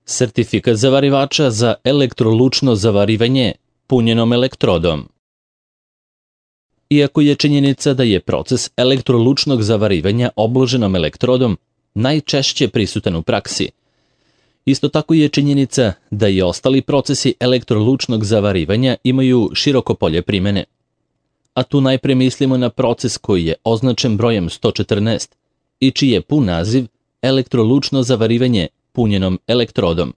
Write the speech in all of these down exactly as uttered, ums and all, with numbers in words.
Sertifikat zavarivača za elektrolučno zavarivanje punjenom elektrodom. Iako je činjenica da je proces elektrolučnog zavarivanja obloženom elektrodom najčešće prisutan u praksi, isto tako je činjenica da i ostali procesi elektrolučnog zavarivanja imaju široko polje primene. A tu najpre mislimo na proces koji je označen brojem sto četrnaest i čiji je pun naziv elektrolučno zavarivanje punjenom elektrodom.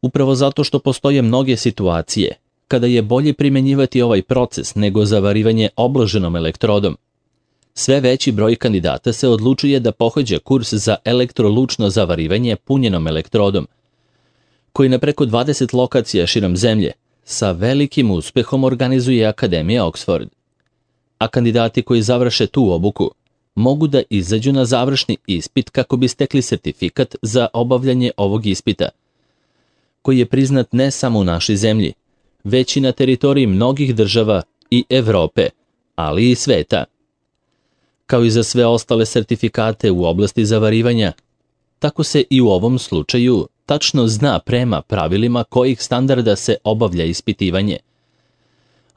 Upravo zato što postoje mnoge situacije kada je bolje primenjivati ovaj proces nego zavarivanje obloženom elektrodom, sve veći broj kandidata se odlučuje da pohađa kurs za elektrolučno zavarivanje punjenom elektrodom, koji na preko dvadeset lokacija širom zemlje sa velikim uspehom organizuje Akademija Oxford. A kandidati koji završe tu obuku mogu da izađu na završni ispit kako bi stekli sertifikat za obavljanje ovog ispita, koji je priznat ne samo u našoj zemlji, već i na teritoriji mnogih država i Evrope, ali i sveta. Kao i za sve ostale sertifikate u oblasti zavarivanja, tako se i u ovom slučaju tačno zna prema pravilima kojih standarda se obavlja ispitivanje.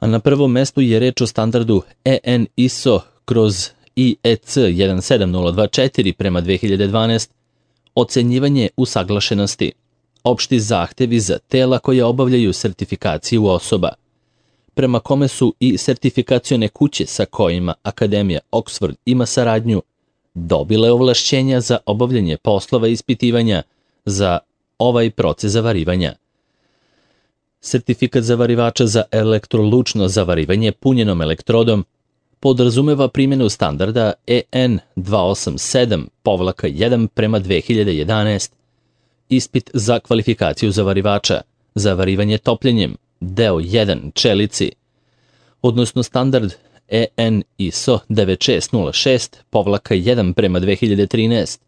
A na prvom mestu je reč o standardu E N I S O kroz I E C jedan sedam nula dva četiri prema dve hiljade dvanaest, ocenjivanje usaglašenosti, opšti zahtevi za tela koje obavljaju sertifikaciju osoba, prema kome su i sertifikacione kuće sa kojima Akademija Oxford ima saradnju dobile ovlašćenja za obavljanje poslova ispitivanja za ovaj proces zavarivanja. Sertifikat zavarivača za elektrolučno zavarivanje punjenom elektrodom podrazumeva primjenu standarda E N dva osam sedam jedan prema dve hiljade jedanaest, ispit za kvalifikaciju zavarivača, zavarivanje topljenjem, deo jedan čelici, odnosno standard E N I S O devet šest nula šest jedan prema dve hiljade trinaest,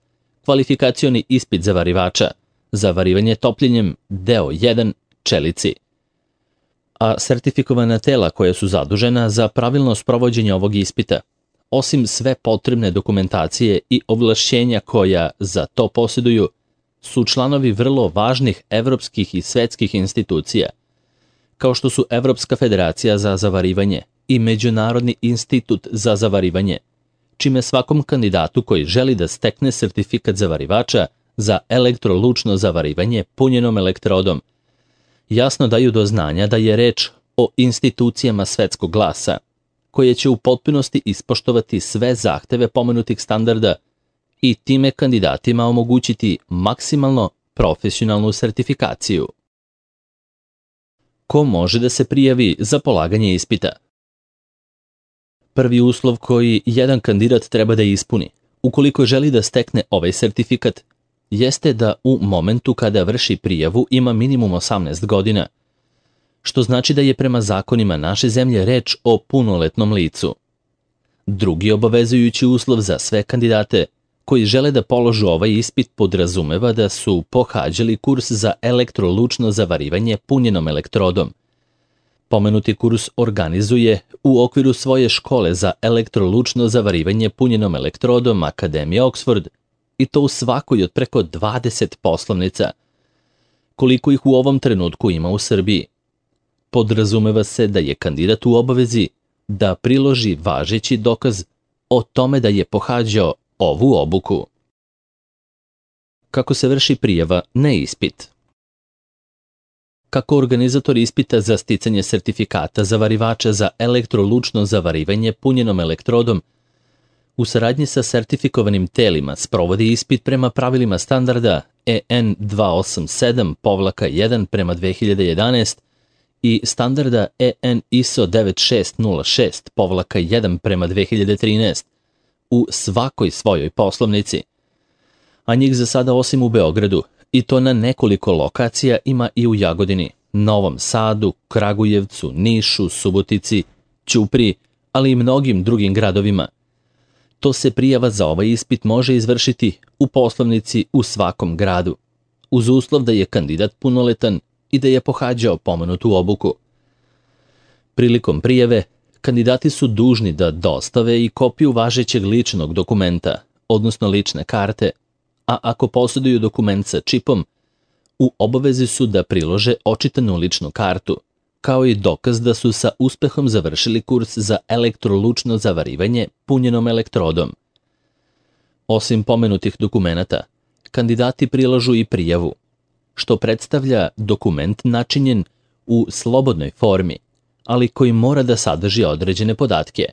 kvalifikacioni ispit zavarivača, zavarivanje topljenjem, deo jedan čelici. A sertifikovana tela koja su zadužena za pravilno sprovođenje ovog ispita, osim sve potrebne dokumentacije i ovlašćenja koja za to posjeduju, su članovi vrlo važnih evropskih i svetskih institucija, kao što su Evropska federacija za zavarivanje i Međunarodni institut za zavarivanje, čime svakom kandidatu koji želi da stekne sertifikat zavarivača za elektrolučno zavarivanje punjenom elektrodom jasno daju do znanja da je reč o institucijama svetskog glasa, koje će u potpunosti ispoštovati sve zahteve pomenutih standarda i time kandidatima omogućiti maksimalno profesionalnu sertifikaciju. Ko može da se prijavi za polaganje ispita? Prvi uslov koji jedan kandidat treba da ispuni, ukoliko želi da stekne ovaj sertifikat, jeste da u momentu kada vrši prijavu ima minimum osamnaest godina, što znači da je prema zakonima naše zemlje reč o punoletnom licu. Drugi obavezujući uslov za sve kandidate koji žele da položu ovaj ispit podrazumeva da su pohađali kurs za elektrolučno zavarivanje punjenom elektrodom. Pomenuti kurs organizuje u okviru svoje škole za elektrolučno zavarivanje punjenom elektrodom Akademija Oxford, i to u svakoj od preko dvadeset poslovnica, koliko ih u ovom trenutku ima u Srbiji. Podrazumeva se da je kandidat u obavezi da priloži važeći dokaz o tome da je pohađao ovu obuku. Kako se vrši prijava na ispit? Kako organizator ispita za sticanje sertifikata zavarivača za elektrolučno zavarivanje punjenom elektrodom u saradnji sa sertifikovanim telima sprovodi ispit prema pravilima standarda E N dva osam sedam jedan prema dve hiljade jedanaest i standarda E N I S O devet šest nula šest jedan prema dve hiljade trinaest u svakoj svojoj poslovnici. A njih za sada osim u Beogradu, i to na nekoliko lokacija, ima i u Jagodini, Novom Sadu, Kragujevcu, Nišu, Subotici, Ćupriji, ali i mnogim drugim gradovima. To se prijava za ovaj ispit može izvršiti u poslovnici u svakom gradu, uz uslov da je kandidat punoletan i da je pohađao pomenutu obuku. Prilikom prijave, kandidati su dužni da dostave i kopiju važećeg ličnog dokumenta, odnosno lične karte, a ako posjeduju dokument sa čipom, u obavezi su da prilože očitanu ličnu kartu, kao i dokaz da su sa uspehom završili kurs za elektrolučno zavarivanje punjenom elektrodom. Osim pomenutih dokumenata, kandidati prilažu i prijavu, što predstavlja dokument načinjen u slobodnoj formi, ali koji mora da sadrži određene podatke.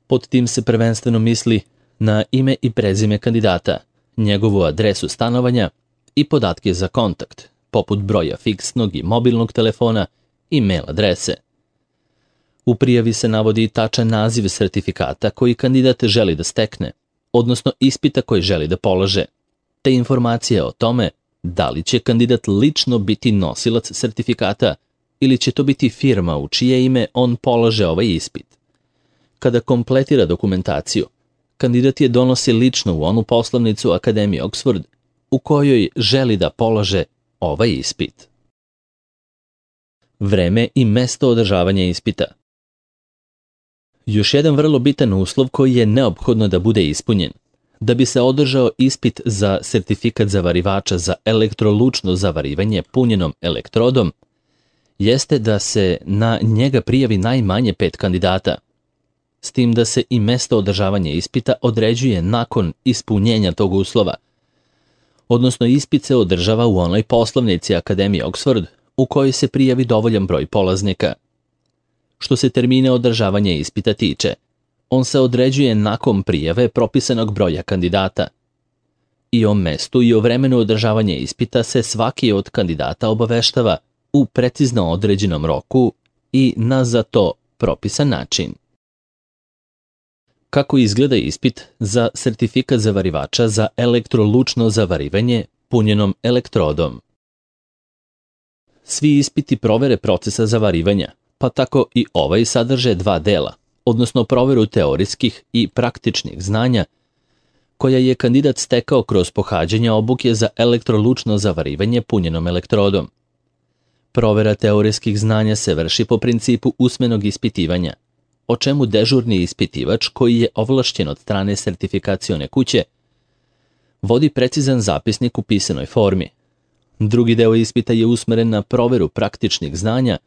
Pod tim se prvenstveno misli na ime i prezime kandidata, njegovu adresu stanovanja i podatke za kontakt, poput broja fiksnog i mobilnog telefona i mail adrese. U prijavi se navodi tačan naziv sertifikata koji kandidat želi da stekne, odnosno ispita koji želi da polaže, te informacije o tome da li će kandidat lično biti nosilac sertifikata ili će to biti firma u čije ime on polaže ovaj ispit. Kada kompletira dokumentaciju, kandidat je donosi lično u onu poslovnicu Akademije Oxford u kojoj želi da polaže ovaj ispit. Vreme i mesto održavanja ispita. Još jedan vrlo bitan uslov koji je neophodno da bude ispunjen da bi se održao ispit za sertifikat zavarivača za elektrolučno zavarivanje punjenom elektrodom jeste da se na njega prijavi najmanje pet kandidata, s tim da se i mesto održavanja ispita određuje nakon ispunjenja tog uslova, odnosno ispit se održava u onoj poslovnici Akademije Oxford u kojoj se prijavi dovoljan broj polaznika. Što se termina održavanja ispita tiče, on se određuje nakon prijave propisanog broja kandidata. I o mestu i o vremenu održavanja ispita se svaki od kandidata obaveštava u precizno određenom roku i na za to propisan način. Kako izgleda ispit za sertifikat zavarivača za elektrolučno zavarivanje punjenom elektrodom? Svi ispiti provere procesa zavarivanja, pa tako i ovaj sadrže dva dela, odnosno proveru teorijskih i praktičnih znanja, koja je kandidat stekao kroz pohađanje obuke za elektrolučno zavarivanje punjenom elektrodom. Provera teorijskih znanja se vrši po principu usmenog ispitivanja, o čemu dežurni ispitivač, koji je ovlašćen od strane sertifikacione kuće, vodi precizan zapisnik u pisanoj formi. Drugi deo ispita je usmeren na proveru praktičnih znanja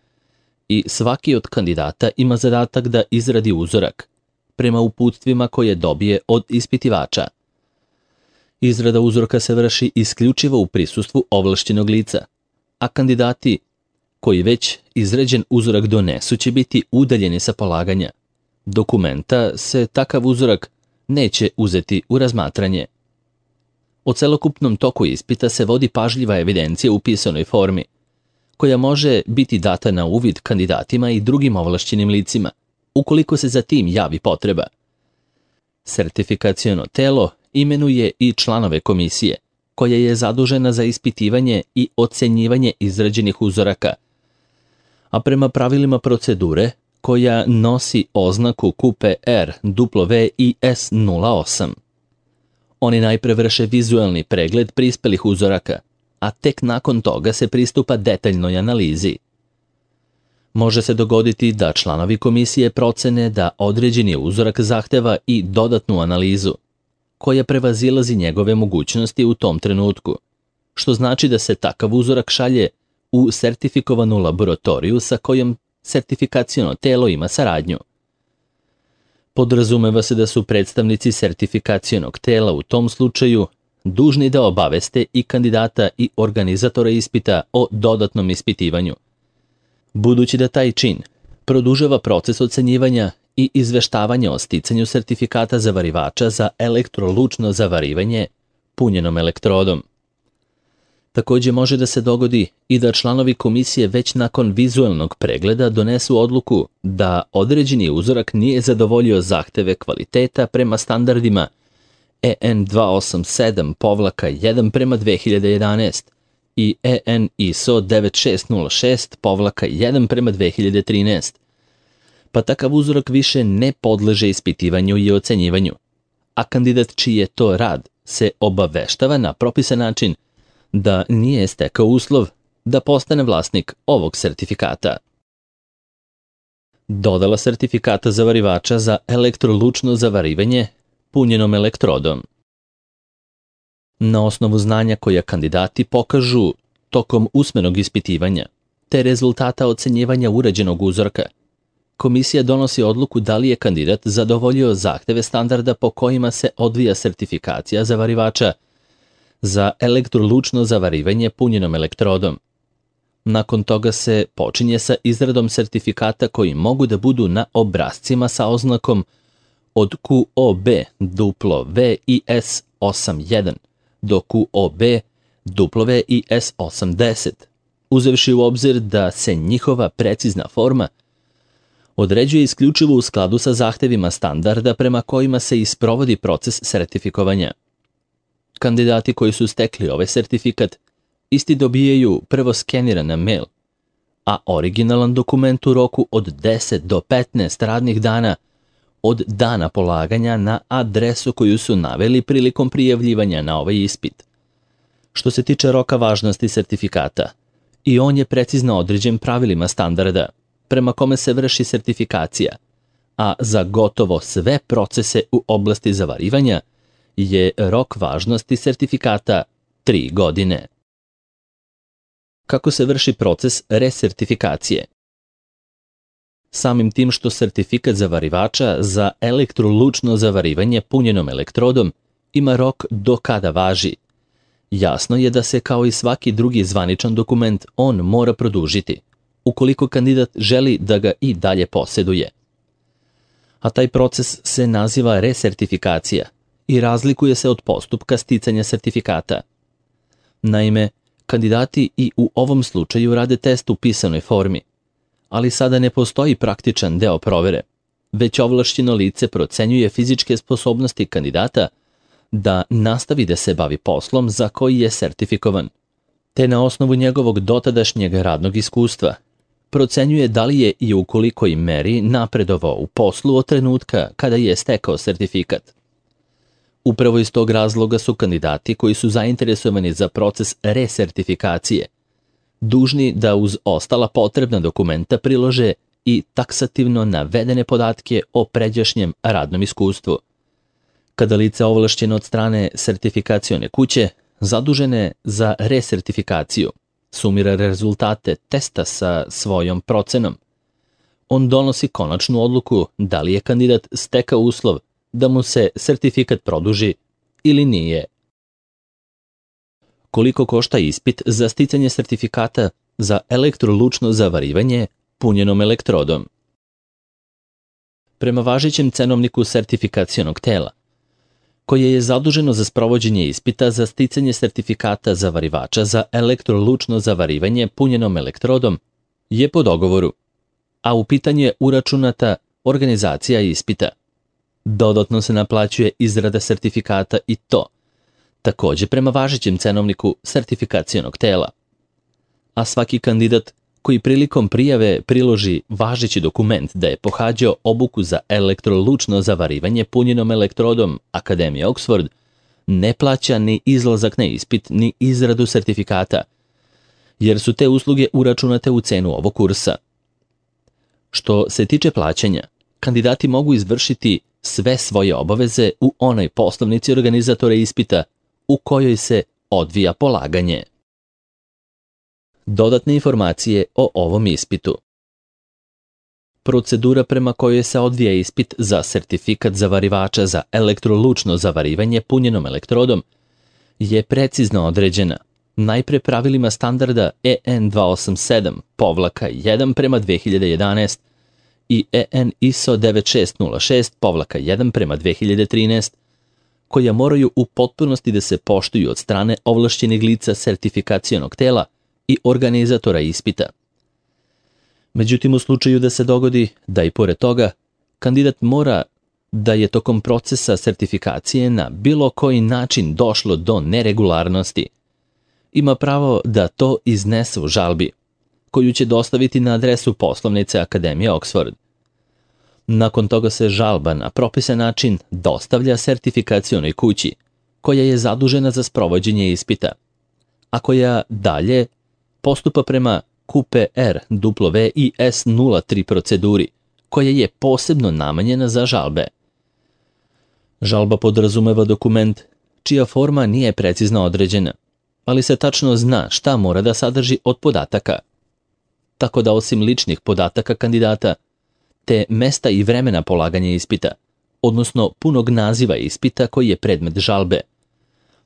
i svaki od kandidata ima zadatak da izradi uzorak prema uputstvima koje dobije od ispitivača. Izrada uzorka se vrši isključivo u prisustvu ovlašćenog lica, a kandidati koji već izrađen uzorak donesu će biti udaljeni sa polaganja dokumenta, se takav uzorak neće uzeti u razmatranje. O celokupnom toku ispita se vodi pažljiva evidencija u pisanoj formi, koja može biti data na uvid kandidatima i drugim ovlašćenim licima, ukoliko se za tim javi potreba. Sertifikaciono telo imenuje i članove komisije, koja je zadužena za ispitivanje i ocenjivanje izrađenih uzoraka, a prema pravilima procedure koja nosi oznaku Q P R W I S nula osam. Oni najpre vrše vizuelni pregled prispelih uzoraka, a tek nakon toga se pristupa detaljnoj analizi. Može se dogoditi da članovi komisije procene da određeni uzorak zahteva i dodatnu analizu, koja prevazilazi njegove mogućnosti u tom trenutku, što znači da se takav uzorak šalje u sertifikovanu laboratoriju sa kojom sertifikaciono telo ima saradnju. Podrazumeva se da su predstavnici sertifikacionog tela u tom slučaju dužni da obaveste i kandidata i organizatora ispita o dodatnom ispitivanju. Budući da taj čin produžava proces ocenjivanja i izveštavanja o sticanju sertifikata zavarivača za elektrolučno zavarivanje punjenom elektrodom. Takođe može da se dogodi i da članovi komisije već nakon vizuelnog pregleda donesu odluku da određeni uzorak nije zadovoljio zahteve kvaliteta prema standardima E N dva osam sedam jedan prema dve hiljade jedanaest i E N I S O devet šest nula šest jedan prema dve hiljade trinaest, pa takav uzorak više ne podleže ispitivanju i ocenjivanju, a kandidat čiji je to rad se obaveštava na propisan način da nije stekao uslov da postane vlasnik ovog sertifikata. Dodala sertifikata zavarivača za elektrolučno zavarivanje punjenom elektrodom. Na osnovu znanja koja kandidati pokažu tokom usmenog ispitivanja, te rezultata ocenjivanja urađenog uzorka, komisija donosi odluku da li je kandidat zadovoljio zahteve standarda po kojima se odvija sertifikacija zavarivača za elektrolučno zavarivanje punjenom elektrodom. Nakon toga se počinje sa izradom sertifikata koji mogu da budu na obrascima sa oznakom od Q O B W I S osam jedan do Q O B W I S osamdeset, uzevši u obzir da se njihova precizna forma određuje isključivo u skladu sa zahtevima standarda prema kojima se isprovodi proces sertifikovanja. Kandidati koji su stekli ovaj sertifikat isti dobijaju prvo skeniran na mail, a originalan dokument u roku od deset do petnaest radnih dana od dana polaganja na adresu koju su naveli prilikom prijavljivanja na ovaj ispit. Što se tiče roka važnosti sertifikata, i on je precizno određen pravilima standarda prema kome se vrši sertifikacija, a za gotovo sve procese u oblasti zavarivanja je rok važnosti sertifikata tri godine. Kako se vrši proces resertifikacije? Samim tim što sertifikat zavarivača za elektrolučno zavarivanje punjenom elektrodom ima rok do kada važi, jasno je da se kao i svaki drugi zvaničan dokument on mora produžiti, ukoliko kandidat želi da ga i dalje posjeduje. A taj proces se naziva resertifikacija i razlikuje se od postupka sticanja sertifikata. Naime, kandidati i u ovom slučaju rade test u pisanoj formi, ali sada ne postoji praktičan deo provere, već ovlašćeno lice procenjuje fizičke sposobnosti kandidata da nastavi da se bavi poslom za koji je sertifikovan, te na osnovu njegovog dotadašnjeg radnog iskustva procenjuje da li je i u kolikoj meri napredovao u poslu od trenutka kada je stekao sertifikat. Upravo iz tog razloga su kandidati koji su zainteresovani za proces resertifikacije dužni da uz ostala potrebna dokumenta prilože i taksativno navedene podatke o pređašnjem radnom iskustvu. Kada lice ovlašćeno od strane sertifikacione kuće, zadužene za resertifikaciju, sumira rezultate testa sa svojom procenom, on donosi konačnu odluku da li je kandidat stekao uslov da mu se sertifikat produži ili nije. Koliko košta ispit za sticanje sertifikata za elektrolučno zavarivanje punjenom elektrodom? Prema važećem cenovniku sertifikacionog tela, koje je zaduženo za sprovođenje ispita za sticanje sertifikata zavarivača za elektrolučno zavarivanje punjenom elektrodom, je po dogovoru, a u pitanje je uračunata organizacija ispita. Dodatno se naplaćuje izrada sertifikata i to, takođe prema važećem cenovniku sertifikacionog tela. A svaki kandidat koji prilikom prijave priloži važeći dokument da je pohađao obuku za elektrolučno zavarivanje punjenom elektrodom Akademije Oxford, ne plaća ni izlazak na ispit ni izradu sertifikata, jer su te usluge uračunate u cenu ovog kursa. Što se tiče plaćanja, kandidati mogu izvršiti sve svoje obaveze u onoj poslovnici organizatora ispita u kojoj se odvija polaganje. Dodatne informacije o ovom ispitu. Procedura prema kojoj se odvija ispit za sertifikat zavarivača za elektrolučno zavarivanje punjenom elektrodom je precizno određena, najpre pravilima standarda E N dva osam sedam jedan prema dve hiljade jedanaest i E N I S O devet šest nula šest jedan prema dve hiljade trinaest, koja moraju u potpunosti da se poštuju od strane ovlašćenih lica sertifikacionog tela i organizatora ispita. Međutim, u slučaju da se dogodi da i pored toga kandidat mora da je tokom procesa sertifikacije na bilo koji način došlo do neregularnosti, ima pravo da to iznese u žalbi, koju će dostaviti na adresu poslovnice Akademije Oxford. Nakon toga se žalba na propisan način dostavlja sertifikacionoj kući, koja je zadužena za sprovođenje ispita, a koja dalje postupa prema Q P R W I S nula tri proceduri, koja je posebno namenjena za žalbe. Žalba podrazumeva dokument čija forma nije precizno određena, ali se tačno zna šta mora da sadrži od podataka. Tako da osim ličnih podataka kandidata, te mesta i vremena polaganja ispita, odnosno punog naziva ispita koji je predmet žalbe,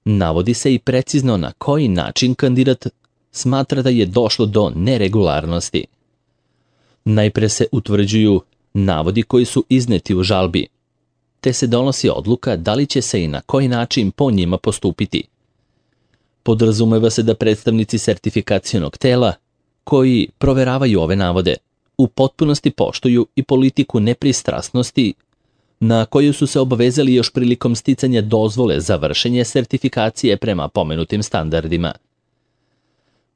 navodi se i precizno na koji način kandidat smatra da je došlo do neregularnosti. Najpre se utvrđuju navodi koji su izneti u žalbi, te se donosi odluka da li će se i na koji način po njima postupiti. Podrazumeva se da predstavnici sertifikacionog tela, koji proveravaju ove navode, u potpunosti poštuju i politiku nepristrasnosti na koju su se obavezali još prilikom sticanja dozvole za vršenje sertifikacije prema pomenutim standardima.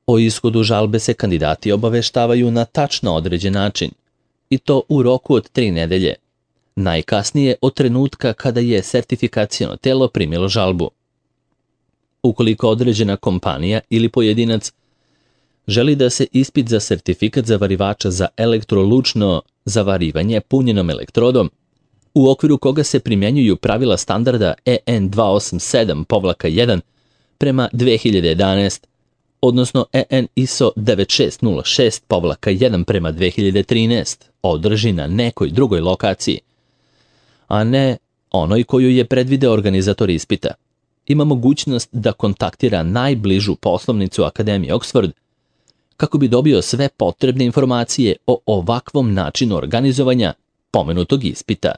O ishodu žalbe se kandidati obaveštavaju na tačno određen način, i to u roku od tri nedelje, najkasnije od trenutka kada je sertifikaciono telo primilo žalbu. Ukoliko određena kompanija ili pojedinac želi da se ispit za sertifikat zavarivača za elektrolučno zavarivanje punjenom elektrodom, u okviru koga se primjenjuju pravila standarda E N dva osam sedam jedan prema dve hiljade jedanaest, odnosno E N I S O devet šest nula šest jedan prema dve hiljade trinaest, održi na nekoj drugoj lokaciji, a ne onoj koju je predvideo organizator ispita, ima mogućnost da kontaktira najbližu poslovnicu Akademije Oxford kako bi dobio sve potrebne informacije o ovakvom načinu organizovanja pomenutog ispita.